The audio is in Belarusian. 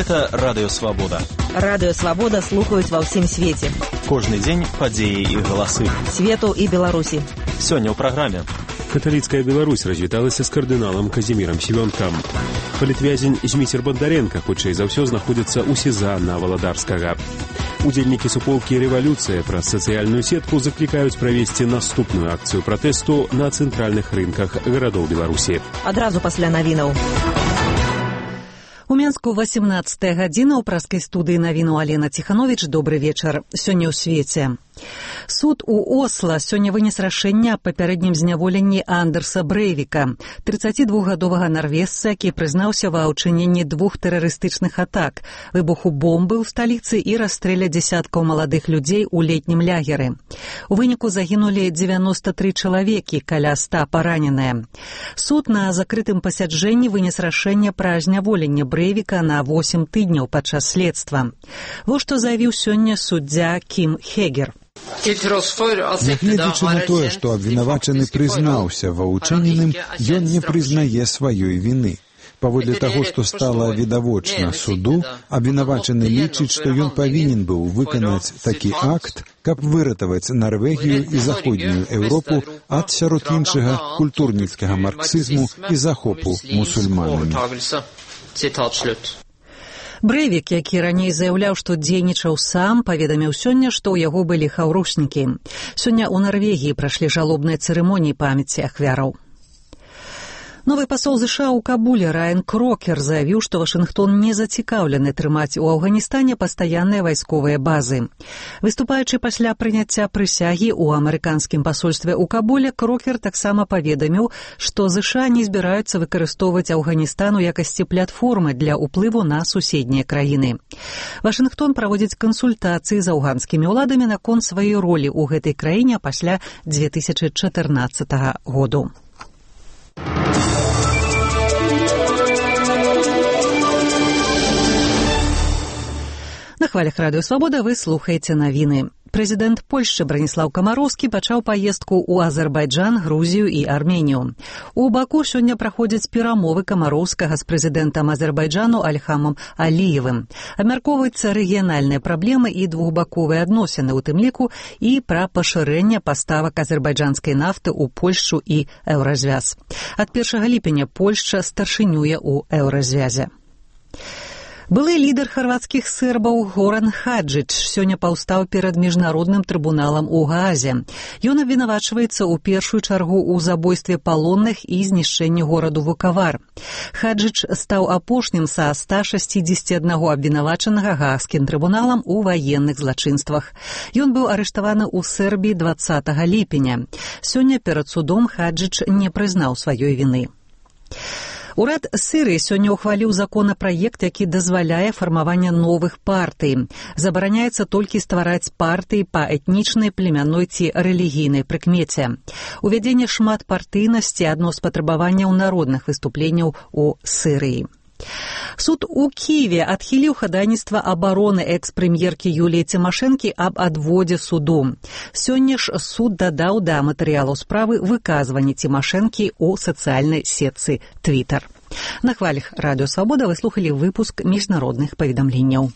Гэта Радыё Свабода. Радыё Свабода слухаюць ва ўсім свеце. Кожны дзень падзеі і галасы. Свету і Беларусі. Сёння ў праграме. Каталіцкая Беларусь развіталася з кардыналам Казімірам Семёнкам. Палітвязень Зміцер Бандаренка хутчэй за ўсё знаходзіцца ў СІЗА на Валадарскага. Удзельнікі суполкі «Рэвалюцыя» праз сацыяльную сетку заклікаюць правесці наступную акцыю пратэсту на цэнтральных рынках гарадоў Беларусі. Адразу пасля навінаў. У Менску 18 гадзіна ў праскай студыі навіну Алена Ціхановіч. Добры вечар. Сёння ў свеце. Суд у Осла сёння вынес рашэнне аб папярэднім зняволенні Андерса Брейвіка, 32-гадовага нарвежца, які прызнаўся ва ўчыненні 2 тэрарыстычных атак, выбуху бомбы ў сталіцы і расстрэля дзесяткаў маладых людзей у летнім лягеры. У выніку загінулі 93 чалавекі, каля 100 параненыя. Суд на закрытым пасяджэнні вынес рашэнне пра зняволенне Брейвіка на 8 тыдняў падчас следства. Вось што заявіў сёння суддзя Кім Хегер. Нягледзячы на тое, што абвінавачаны прызнаўся ва ўчыненым, ён не прызнае сваёй віны. Паводле таго, што стала відавочна суду, абвінавачаны лічыць, што ён павінен быў выканаць такі акт, каб выратаваць Нарвегію і заходнюю Еўропу ад, сярод іншага, культурніцкага марксізму і захопу мусульманамі. Брейвік, які раней заяўляў, што дзейнічаў сам, паведаміў сёння, што ў яго былі хаўрушнікі. Сёння ў Нарвегіі прайшлі жалобныя цырымоніі памяці ахвяраў. Новы пасол США ў Кабуле Райан Крокер заявіў, што Вашынгтон не зацікаўлены трымаць у Афганістане пастаянныя вайсковыя базы. Выступаючы пасля прыняцця прысягі ў амерыканскім пасольстве ў Кабуле, Крокер таксама паведаміў, што США не збіраюцца выкарыстоўваць Афганістан у якасці платформы для ўплыву на суседнія краіны. Вашынгтон праводзіць кансультацыі з афганскімі ўладамі наконт сваёй ролі ў гэтай краіне пасля 2014 году. На хвалях Радыё Свабода вы слухаеце навіны. Прэзідэнт Польшчы Браніслаў Камароўскі пачаў паездку ў Азербайджан, Грузію і Арменію. У Баку сёння праходзяць перамовы Камароўскага з прэзідэнтам Азербайджану Альхамом Аліевым. Абмяркоўваюцца рэгіянальныя праблемы і двухбаковыя адносіны, у тым ліку і пра пашырэнне паставак азербайджанскай нафты ў Польшчу і Еўразвяз. Ад 1 ліпеня Польшча старшынюе ў Еўразвязе. Былы лідар харвацкіх сербаў Горан Хаджыч сёння паўстаў перад міжнародным трыбуналам у Гаазе. Ён абвінавачваецца ў першую чаргу ў забойстве палонных і знішчэнні гораду Вукавар. Хаджыч стаў апошнім са 161 абвінавачанага Гаагскім трыбуналам у ваенных злачынствах. Ён быў арыштаваны ў Сербіі 20 ліпеня. Сёння перад судом Хаджыч не прызнаў сваёй віны. Урад Сірыі сёння ўхваліў законапраект, які дазваляе фармаванне новых партый. Забараняецца толькі ствараць партыі па этнічнай, племянной ці рэлігійнай прыкмеце. Увядзенне шматпартыйнасці адно з патрабаванняў народных выступленняў у Сірыі. Суд у Киеве адхіліў хадайніцтва абароны экс-прэм'еркі Юліі Цімашэнкі аб адводзе суду. Сёння ж суд дадаў да матэрыялаў справы выказванні Цімашэнкі ў сацыяльнай сетцы Твіттер. На хвалях Радыё Свабода вы слухалі выпуск міжнародных паведамленняў.